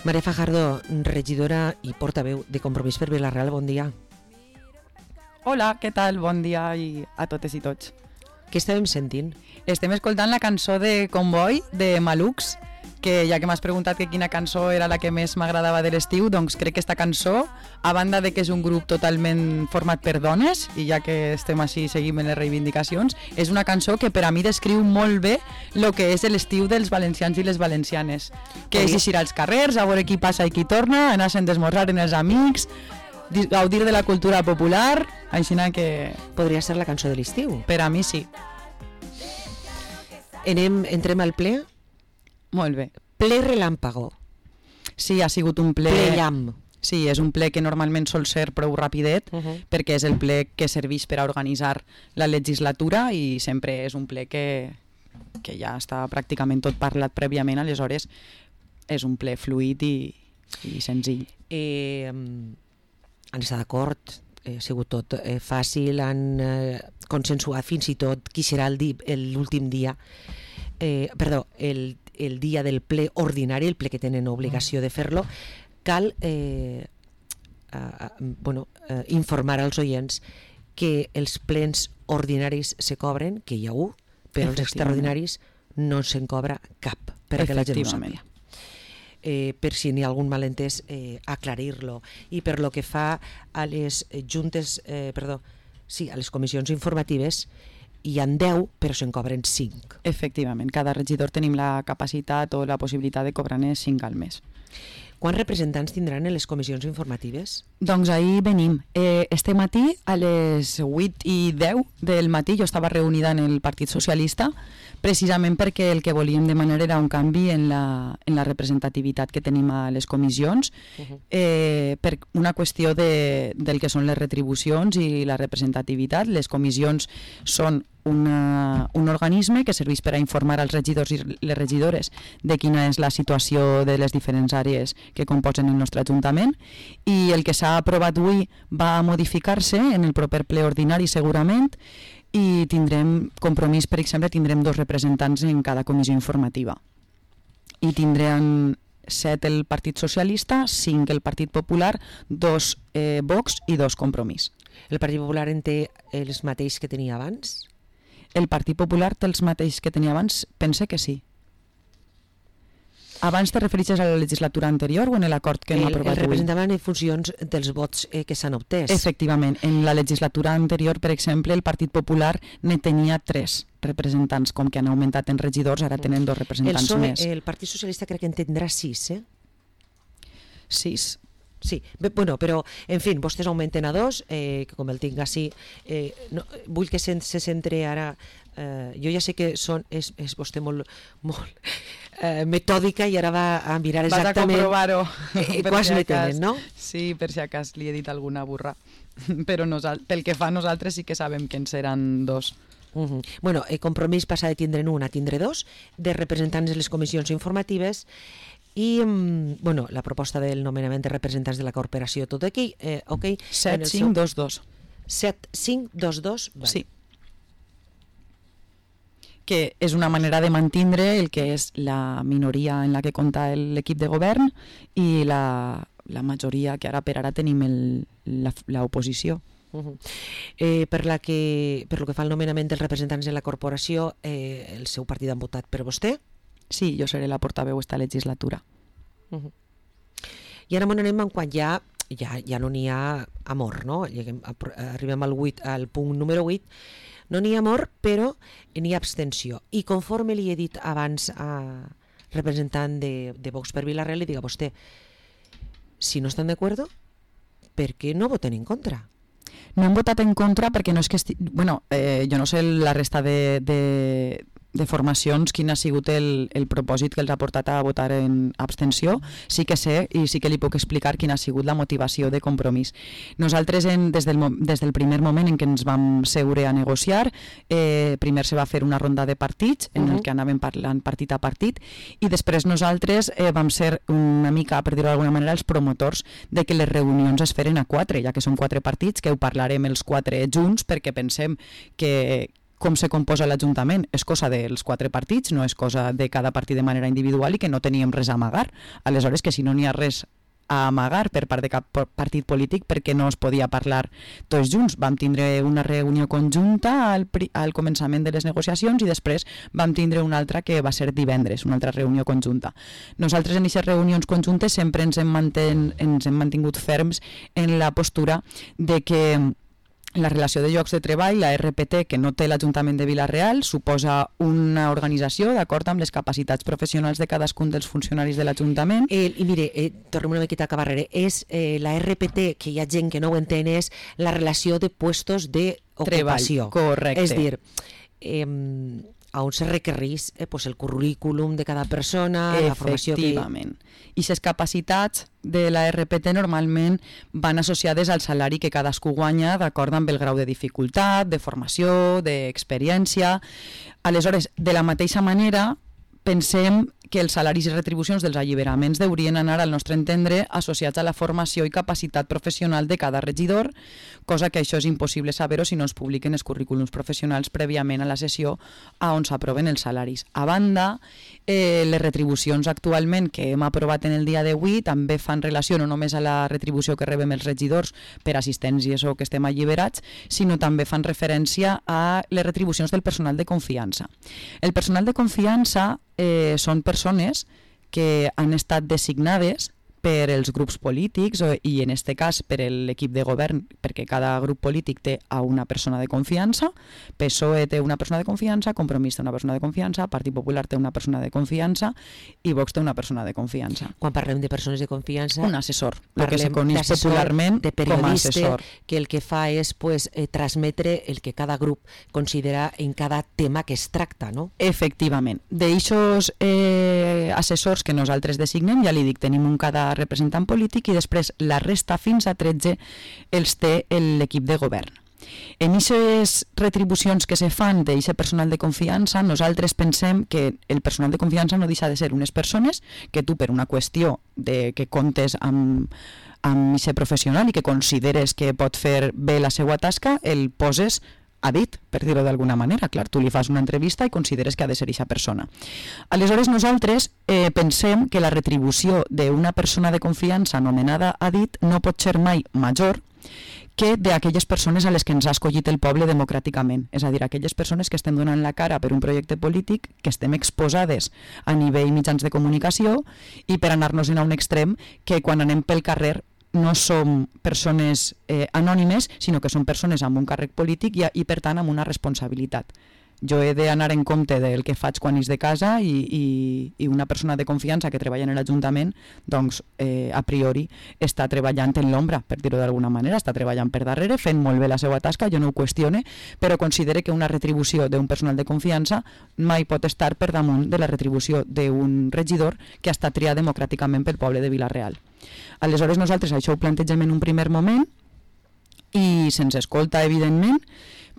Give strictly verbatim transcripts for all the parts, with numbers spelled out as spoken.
Maria Fajardo, regidora i portaveu de Compromís per Vila-real, bon dia. Hola, què tal? Bon dia i a totes i tots. Què estàvem sentint? Estem escoltant la cançó de Comboi, de Malux, que ja que m'has preguntat que quina cançó era la que més m'agradava de l'estiu, doncs crec que esta cançó, a banda de que és un grup totalment format per dones, i ja que estem així i seguim en les reivindicacions, és una cançó que per a mi descriu molt bé el que és l'estiu dels valencians i les valencianes, que és eixir als carrers, a veure qui passa i qui torna, anar-se'n d'esmorzar amb els amics, gaudir de la cultura popular, així que... Podria ser la cançó de l'estiu. Per a mi sí. Anem, entrem al ple? Molt bé. Ple relàmpago. Sí, ha sigut un ple... Ple llamp. Sí, és un ple que normalment sol ser prou rapidet, uh -huh. perquè és el ple que serveix per a organitzar la legislatura i sempre és un ple que, que ja està pràcticament tot parlat prèviament, aleshores és un ple fluid i, i senzill. Eh, han estat d'acord, ha sigut tot eh, fàcil, han eh, consensuat fins i tot qui serà l'últim dia, eh, perdó, el el dia del ple ordinari, el ple que tenen obligació de fer-lo. Cal eh, eh, bueno, eh, informar als oients que els plens ordinaris se cobren, que hi ha un, però els extraordinaris no se'n cobra cap, perquè la gent ho sàpiga. Eh, per si n'hi ha algun malentès, eh, aclarir-lo. I per lo que fa a les juntes, eh, perdó, sí, a les comissions informatives, hi ha deu, però se'n cobren cinc. Efectivament, cada regidor tenim la capacitat o la possibilitat de cobrar-ne cinc al mes. Quants representants tindran en les comissions informatives? Doncs ahir venim. Eh, este matí, a les vuit i deu del matí, jo estava reunida en el Partit Socialista, precisament perquè el que volíem demanar era un canvi en la, en la representativitat que tenim a les comissions, uh-huh. eh, per una qüestió de, del que són les retribucions i la representativitat. Les comissions són Una, un organisme que serveix per a informar als regidors i les regidores de quina és la situació de les diferents àrees que composen el nostre Ajuntament, i el que s'ha aprovat avui va modificar-se en el proper ple ordinari segurament, i tindrem Compromís, per exemple, tindrem dos representants en cada comissió informativa, i tindran set el Partit Socialista, cinc el Partit Popular, dos eh, Vox i dos Compromís. El Partit Popular en té els mateixos que tenia abans? El Partit Popular té els mateixos que tenia abans? Pense que sí. Abans te refereixes a la legislatura anterior o en l'acord que hem aprovat avui? El representaven en funcions dels vots eh, que s'han obtès. Efectivament. En la legislatura anterior, per exemple, el Partit Popular ne tenia tres representants, com que han augmentat en regidors, ara tenen dos representants el P S O E, més. El Partit Socialista crec que en tindrà sis, eh? Sis. Sí, bé, bueno, però, en fi, vostès augmenten a dos, eh, que com el tinc així, eh, no, vull que se, se centre ara, eh, jo ja sé que són, és, és vostè molt, molt eh, metòdica i ara va a mirar exactament... Vas a comprovar-ho. Eh, quants si ne tenen, no? Sí, per si acas li he dit alguna burra, però nosal, pel que fa nosaltres sí que sabem que en seran dos. Uh -huh. Bueno, el Compromís passa de tindre'n un a tindre dos, de representants de les comissions informatives. I, bueno, la proposta del nomenament de representants de la corporació, tot aquí, eh, ok? set cinc dos dos. set cinc dos dos, vale. Sí. Que és una manera de mantindre el que és la minoria en la que compta l'equip de govern i la, la majoria que ara per ara tenim l'oposició. Uh -huh. eh, per, la que, per lo que fa al nomenament dels representants de la corporació, eh, el seu partit han votat per vostè? Sí, jo seré la portaveu esta legislatura. Uh -huh. I ara m'on anem en quan ja, ja, ja no n'hi ha amor, no? Lleguem, arribem al, vuit, al punt número vuit, no n'hi ha amor, però n'hi ha abstenció. I conforme li he dit abans a representant de, de Vox per Vila-real, li dic a vostè, si no estan d'acord, per què no voten en contra? No hem votat en contra perquè no és que... Esti... Bueno, eh, jo no sé la resta de... de... de formacions quin ha sigut el, el propòsit que els ha portat a votar en abstenció. Sí que sé i sí que li puc explicar quina ha sigut la motivació de Compromís. Nosaltres en, des, del, des del primer moment en què ens vam seure a negociar, eh, primer se va fer una ronda de partits en uh-huh. el que anàvem parlant partit a partit i després nosaltres eh, vam ser una mica, per dir-ho d'alguna manera, els promotors de que les reunions es feren a quatre, ja que són quatre partits, que ho parlarem els quatre junts perquè pensem que com se composa l'Ajuntament és cosa dels quatre partits, no és cosa de cada partit de manera individual i que no teníem res a amagar. Aleshores, que si no n'hi ha res a amagar per part de cap partit polític perquè no es podia parlar tots junts. Vam tindre una reunió conjunta al, al començament de les negociacions i després vam tindre una altra que va ser divendres, una altra reunió conjunta. Nosaltres en aquestes reunions conjuntes sempre ens hem, manten, ens hem mantingut ferms en la postura de que la relació de llocs de treball, la R P T, que no té l'Ajuntament de Vila-real, suposa una organització d'acord amb les capacitats professionals de cadascun dels funcionaris de l'Ajuntament. Eh, I mire, eh, tornem una miqueta a acabar, és eh, la R P T, que hi ha gent que no ho entén, és la relació de puestos d'ocupació. Correcte. És dir, eh, on se requereix eh, pues el currículum de cada persona, la formació que... Efectivament. I les capacitats de la R P T normalment van associades al salari que cadascú guanya d'acord amb el grau de dificultat, de formació, d'experiència. Aleshores, de la mateixa manera, pensem que els salaris i retribucions dels alliberaments deurien anar, al nostre entendre, associats a la formació i capacitat professional de cada regidor, cosa que això és impossible saber-ho si no es publiquen els currículums professionals prèviament a la sessió a on s'aproven els salaris. A banda, eh, les retribucions actualment que hem aprovat en el dia d'avui també fan relació no només a la retribució que rebem els regidors per assistències o que estem alliberats, sinó també fan referència a les retribucions del personal de confiança. El personal de confiança eh, són persones que han estat designades per els grups polítics i en aquest cas per l'equip de govern, perquè cada grup polític té a una persona de confiança, P S O E té una persona de confiança, Compromís té una persona de confiança, Partit Popular té una persona de confiança i Vox té una persona de confiança. Quan parlem de persones de confiança... Un assessor, el que se coneix popularment com a assessor. Que el que fa és pues, eh, transmetre el que cada grup considera en cada tema que es tracta, no? Efectivament. D'eixos eh, assessors que nosaltres designem, ja li dic, tenim un cada representant polític i després la resta fins a tretze els té l'equip de govern. En aquestes retribucions que se fan d'aquest personal de confiança, nosaltres pensem que el personal de confiança no deixa de ser unes persones que tu, per una qüestió de que comptes amb amb aquest professional i que consideres que pot fer bé la seva tasca, el poses a dit, per dir-ho d'alguna manera. Clar, tu li fas una entrevista i consideres que ha de ser aquesta persona. Aleshores, nosaltres eh, pensem que la retribució d'una persona de confiança anomenada a dit no pot ser mai major que d'aquelles persones a les que ens ha escollit el poble democràticament. És a dir, aquelles persones que estem donant la cara per un projecte polític, que estem exposades a nivell mitjans de comunicació i per anar-nos a un extrem que quan anem pel carrer no som persones eh, anònimes, sinó que són persones amb un càrrec polític i, i per tant amb una responsabilitat. Jo he d'anar en compte del que faig quan és de casa i, i, i una persona de confiança que treballa en l'Ajuntament, doncs eh, a priori està treballant en l'ombra, per dir-ho d'alguna manera, està treballant per darrere, fent molt bé la seva tasca, jo no ho qüestione, però considere que una retribució d'un personal de confiança mai pot estar per damunt de la retribució d'un regidor que ha estat triat democràticament pel poble de Vila-real. Aleshores nosaltres això ho plantegem en un primer moment i se'ns escolta evidentment,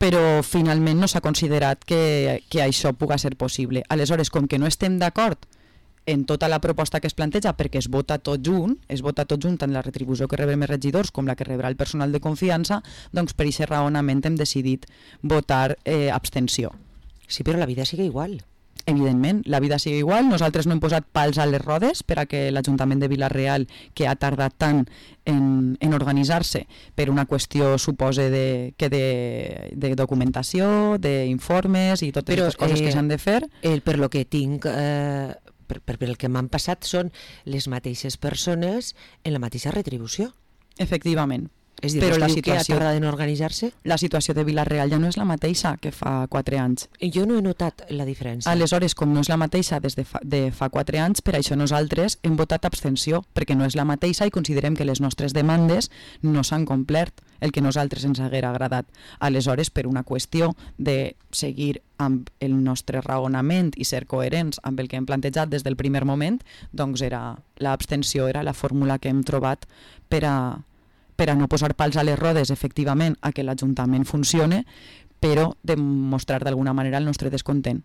però finalment no s'ha considerat que, que això pugui ser possible. Aleshores, com que no estem d'acord en tota la proposta que es planteja, perquè es vota tot junt, es vota tot junt tant la retribució que rebem els regidors com la que rebrà el personal de confiança, doncs per aquest raonament hem decidit votar eh, abstenció. Sí, però la vida sigue igual. Evidentment, la vida sigue igual. Nosaltres no hem posat pals a les rodes per a que l'Ajuntament de Vila-real, que ha tardat tant en, en organitzar-se per una qüestió, supose, de, que de, de documentació, d'informes i totes Però, les coses eh, que s'han de fer. El, per lo que tinc, eh, per, per, per el que m'han passat, són les mateixes persones en la mateixa retribució. Efectivament. És dir, però la situació, que ha tardat en organitzar-se? La situació de Vila-real ja no és la mateixa que fa quatre anys. Jo no he notat la diferència. Aleshores, com no és la mateixa des de fa, de fa quatre anys, per això nosaltres hem votat abstenció, perquè no és la mateixa i considerem que les nostres demandes no s'han complert el que nosaltres ens haguera agradat. Aleshores, per una qüestió de seguir amb el nostre raonament i ser coherents amb el que hem plantejat des del primer moment, doncs era l'abstenció era la fórmula que hem trobat per a per a no posar pals a les rodes, efectivament, a que l'Ajuntament funcione, però demostrar d'alguna manera el nostre descontent.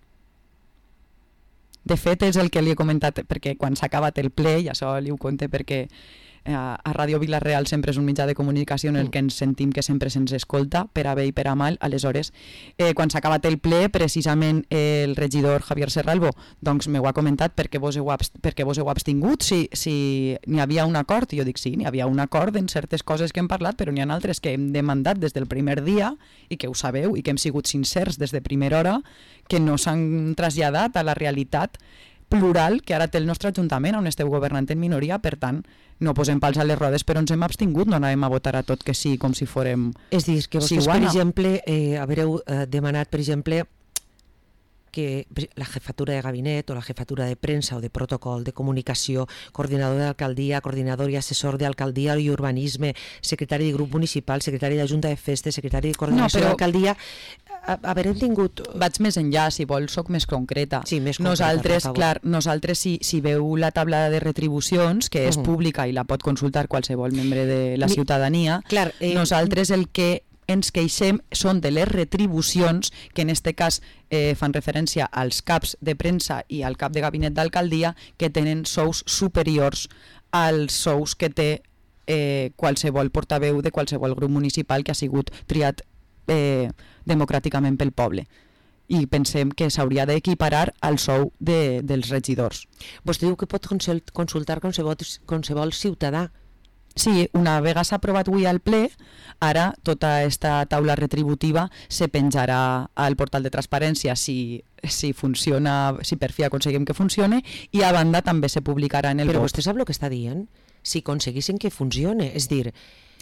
De fet, és el que li he comentat, perquè quan s'ha acabat el ple, i això li ho conté perquè a, a Ràdio Vila-real sempre és un mitjà de comunicació en el que ens sentim que sempre se'ns escolta, per a bé i per a mal. Aleshores, eh, quan s'ha acabat el ple, precisament eh, el regidor Javier Serralbo doncs m'ho ha comentat perquè vos heu, abst perquè vos heu abstingut, si, si n'hi havia un acord. I jo dic sí, n'hi havia un acord en certes coses que hem parlat, però n'hi ha altres que hem demandat des del primer dia i que ho sabeu i que hem sigut sincers des de primera hora, que no s'han traslladat a la realitat plural que ara té el nostre Ajuntament, on esteu governant en minoria. Per tant, no posem pals a les rodes, però ens hem abstingut, no anàvem a votar a tot que sí, com si fórem És dir, que vostès, per exemple, eh, haureu eh, demanat, per exemple, que la jefatura de gabinet o la jefatura de premsa o de protocol, de comunicació, coordinador d'alcaldia, coordinador i assessor d'alcaldia i urbanisme, secretari de grup municipal, secretari de junta de festes, secretari de coordinació no, però... d'alcaldia, haverem tingut... Vaig més enllà, si vols, soc més concreta. Sí, més concreta, nosaltres, clar, nosaltres si, si veu la taula de retribucions, que és uh -huh. pública i la pot consultar qualsevol membre de la ciutadania, clar, eh... nosaltres el que ens queixem són de les retribucions, que en este cas eh, fan referència als caps de premsa i al cap de gabinet d'alcaldia, que tenen sous superiors als sous que té eh, qualsevol portaveu de qualsevol grup municipal que ha sigut triat eh, democràticament pel poble. I pensem que s'hauria d'equiparar al sou de, dels regidors. Vostè diu que pot consultar qualsevol, qualsevol ciutadà. Sí, una vegada s'ha aprovat avui al ple, ara tota aquesta taula retributiva se penjarà al portal de transparència si, si funciona, si per fi aconseguim que funcione, i a banda també se publicarà en el Però B O P. Però vostè sap el que està dient? Si aconseguissin que funcione, és dir...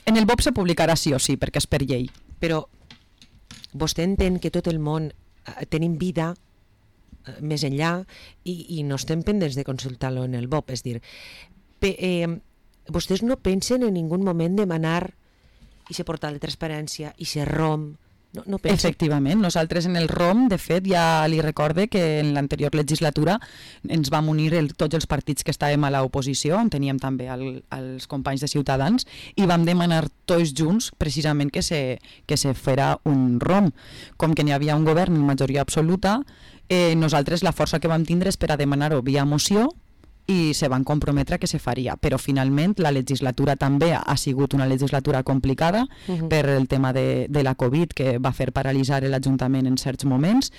En el B O P se publicarà sí o sí, perquè és per llei. Però vostè entén que tot el món eh, tenim vida eh, més enllà i, i no estem pendents de consultar-lo en el B O P, és dir... Pe, eh, vostès no pensen en ningú moment demanar i se portal de transparència i se R O M? No, no pensen... Efectivament, nosaltres en el R O M, de fet, ja li recorde que en l'anterior legislatura ens vam unir el, tots els partits que estàvem a l'oposició, on teníem també el, els companys de Ciutadans, i vam demanar tots junts precisament que se, que se fera un R O M. Com que n'hi havia un govern en majoria absoluta, eh, nosaltres la força que vam tindre és per a demanar-ho via moció, i se van comprometre que se faria, però finalment la legislatura també ha sigut una legislatura complicada uh-huh. per el tema de, de la Covid, que va fer paralitzar l'Ajuntament en certs moments,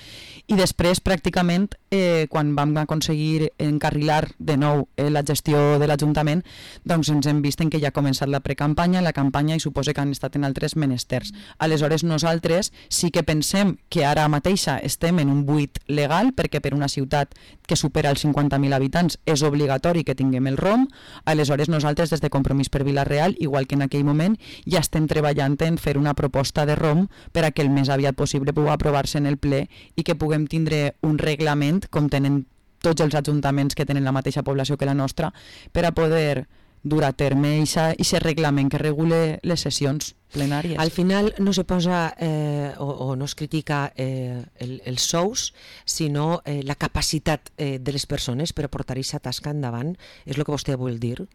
i després pràcticament eh, quan vam aconseguir encarrilar de nou eh, la gestió de l'Ajuntament, doncs ens hem vist en que ja ha començat la precampanya, la campanya, i suposa que han estat en altres menesters. Aleshores nosaltres sí que pensem que ara mateixa estem en un buit legal, perquè per una ciutat que supera els cinquanta mil habitants és obligatori obligatori que tinguem el R O M. Aleshores nosaltres des de Compromís per Vila-real, igual que en aquell moment, ja estem treballant en fer una proposta de R O M per a que el més aviat possible pugui aprovar-se en el ple i que puguem tindre un reglament, com tenen tots els ajuntaments que tenen la mateixa població que la nostra, per a poder dur a terme aquest reglament que regule les sessions plenàries. Al final no se posa eh, o, o no es critica eh, el, els sous, sinó eh, la capacitat eh, de les persones per a portar aquesta tasca endavant. És el que vostè vol dir?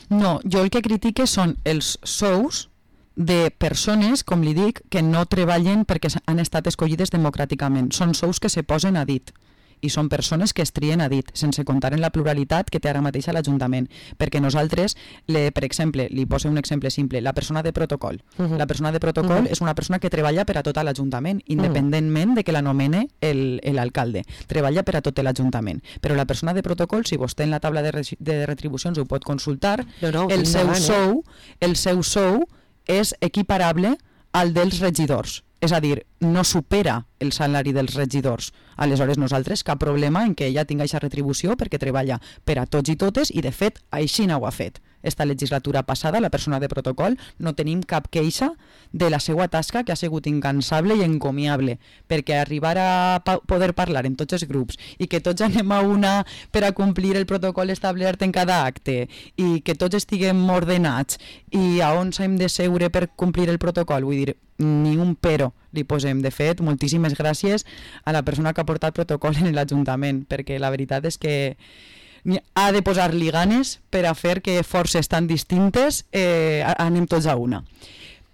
No, jo el que critique són els sous de persones, com li dic, que no treballen perquè han estat escollides democràticament. Són sous que se posen a dit. I són persones que es trien a dit, sense comptar en la pluralitat que té ara mateix a l'Ajuntament. Perquè nosaltres, le, per exemple, li poso un exemple simple, la persona de protocol. Uh-huh. La persona de protocol uh-huh. és una persona que treballa per a tot l'Ajuntament, independentment uh-huh. de que l'anomene l'alcalde. Treballa per a tot l'Ajuntament. Però la persona de protocol, si vostè en la taula de, re- de retribucions ho pot consultar, no, no, el, seu endavant, sou, eh? el seu sou és equiparable al dels regidors. És a dir, no supera el salari dels regidors. Aleshores nosaltres cap problema en que ella tingui aquesta retribució perquè treballa per a tots i totes, i de fet així no ho ha fet. Esta legislatura passada, la persona de protocol, no tenim cap queixa de la seva tasca, que ha sigut incansable i encomiable, perquè arribar a pa- poder parlar en tots els grups i que tots anem a una per a complir el protocol establert en cada acte i que tots estiguem ordenats i a on hem de seure per complir el protocol, vull dir, ni un però li posem. De fet, moltíssimes gràcies a la persona que ha portat protocol en l'Ajuntament, perquè la veritat és que ha de posar-li ganes per a fer que forces tan distintes eh, anem tots a una.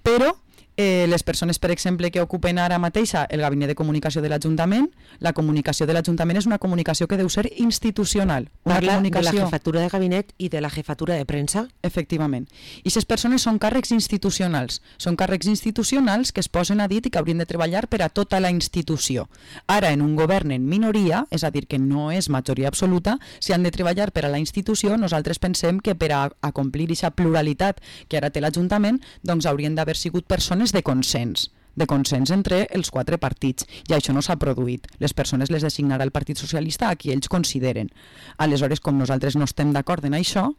Però Eh, les persones, per exemple, que ocupen ara mateixa el gabinet de comunicació de l'Ajuntament, la comunicació de l'Ajuntament és una comunicació que deu ser institucional. Una Parla comunicació... de la jefatura de gabinet i de la jefatura de premsa. Efectivament. I aquestes persones són càrrecs institucionals. Són càrrecs institucionals que es posen a dit i que haurien de treballar per a tota la institució. Ara, en un govern en minoria, és a dir, que no és majoria absoluta, si han de treballar per a la institució, nosaltres pensem que per a, a complir aquesta pluralitat que ara té l'Ajuntament, doncs haurien d'haver sigut persones de consens, de consens entre els quatre partits, i això no s'ha produït. Les persones les designarà el Partit Socialista a qui ells consideren. Aleshores, com nosaltres no estem d'acord en això,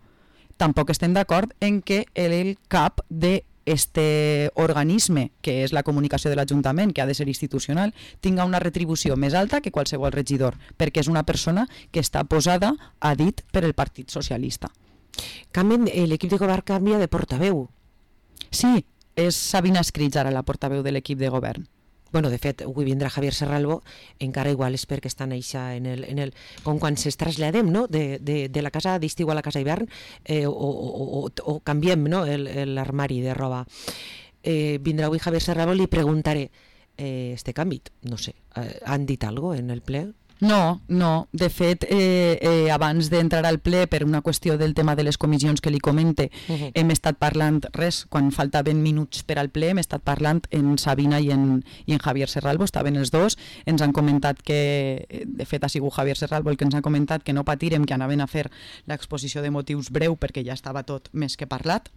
tampoc estem d'acord en que el cap de este organisme, que és la comunicació de l'Ajuntament, que ha de ser institucional, tinga una retribució més alta que qualsevol regidor, perquè és una persona que està posada a dit per el Partit Socialista. Canvien, l'equip de govern canvia de portaveu. Sí, és Sabina Escrits ara la portaveu de l'equip de govern. Bueno, de fet, avui vindrà Javier Serralbo, encara igual és perquè estan eixa en el, en el, com quan es traslladem, no?, de, de, de la casa d'estiu a la casa d'hivern, eh, o, o, o, o canviem, no?, l'armari de roba. Eh, vindrà avui Javier Serralbo, li preguntaré, eh, este canvi, no sé, eh, han dit alguna cosa en el ple? No, no. De fet, eh, eh, abans d'entrar al ple, per una qüestió del tema de les comissions que li comente, uh-huh. hem estat parlant, res, quan faltaven minuts per al ple, hem estat parlant en Sabina i en, i en Javier Serralbo, estaven els dos, ens han comentat que, de fet ha sigut Javier Serralbo el que ens ha comentat que no patirem, que anaven a fer l'exposició de motius breu perquè ja estava tot més que parlat,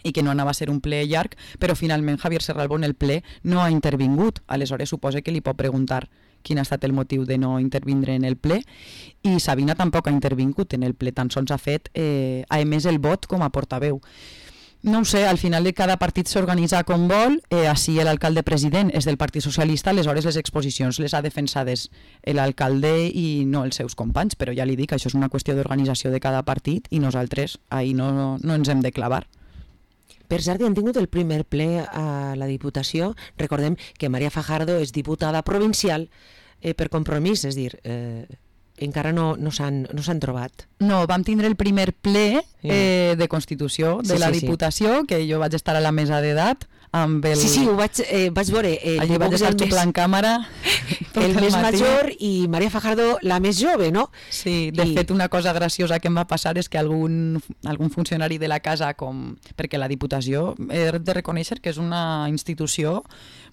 i que no anava a ser un ple llarg, però finalment Javier Serralbo en el ple no ha intervingut, aleshores suposa que li pot preguntar quin ha estat el motiu de no intervindre en el ple, i Sabina tampoc ha intervingut en el ple, tan sols ha fet, eh, ha emès el vot com a portaveu. No ho sé, al final cada partit s'organitza com vol, eh, així l'alcalde president és del Partit Socialista, aleshores les exposicions les ha defensades l'alcalde i no els seus companys, però ja li dic, això és una qüestió d'organització de cada partit i nosaltres ahir no, no ens hem de clavar. Per cert, han tingut el primer ple a la Diputació. Recordem que Maria Fajardo és diputada provincial eh, per compromís, és a dir, eh, encara no, no s'han no s'han trobat. No, vam tindre el primer ple eh, de Constitució de sí, la sí, Diputació, sí. que jo vaig estar a la mesa d'edat, amb el... Sí, sí, ho vaig, eh, vaig veure. Eh, Allí vaig estar xuclant càmera el, el més matí. Major i Maria Fajardo la més jove, no? Sí, de I... fet una cosa graciosa que em va passar és que algun, algun funcionari de la casa, com perquè la Diputació he de reconèixer que és una institució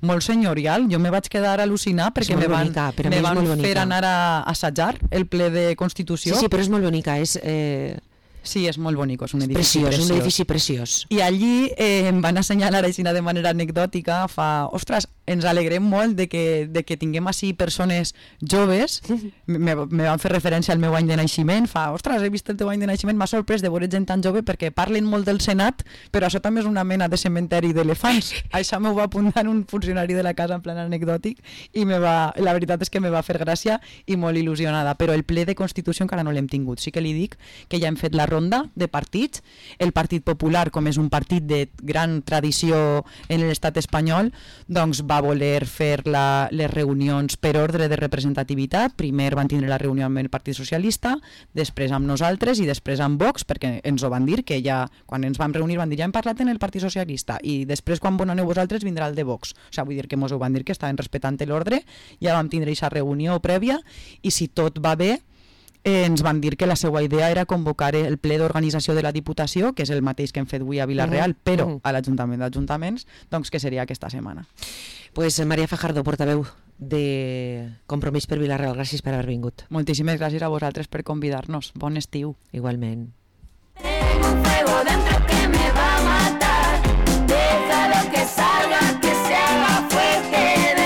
molt senyorial, jo me vaig quedar al·lucinar perquè me van, bonica, me van fer anar a assajar el ple de Constitució. Sí, sí, però és molt bonica, és... Eh... Sí, és molt bonic, és un edifici preciós. preciós. Un edifici preciós. I allí eh, em van assenyalar així de manera anecdòtica, fa, ostres, ens alegrem molt de que, de que tinguem així persones joves, me, me van fer referència al meu any de naixement, fa, ostres, he vist el teu any de naixement, m'ha sorprès de veure gent tan jove perquè parlen molt del Senat, però això també és una mena de cementeri d'elefants. Això m'ho va apuntar un funcionari de la casa en plan anecdòtic i me va, la veritat és que me va fer gràcia i molt il·lusionada, però el ple de Constitució encara no l'hem tingut. Sí que li dic que ja hem fet la ronda de partits. El Partit Popular, com és un partit de gran tradició en l'estat espanyol, doncs va voler fer la, les reunions per ordre de representativitat. Primer van tindre la reunió amb el Partit Socialista, després amb nosaltres i després amb Vox, perquè ens ho van dir, que ja quan ens vam reunir van dir ja hem parlat en el Partit Socialista i després quan bon aneu vosaltres vindrà el de Vox. O sigui, vull dir que ens ho van dir que estaven respectant l'ordre, ja vam tindre aquesta reunió prèvia i si tot va bé Eh, ens van dir que la seva idea era convocar el ple d'organització de la Diputació, que és el mateix que hem fet avui a Vila-real, uh-huh. però uh-huh. a l'Ajuntament d'Ajuntaments, doncs que seria aquesta setmana. Pues Maria Fajardo, portaveu de Compromís per Vila-real, gràcies per haver vingut. Moltíssimes gràcies a vosaltres per convidar-nos. Bon estiu. Igualment. Tengo un fuego dentro.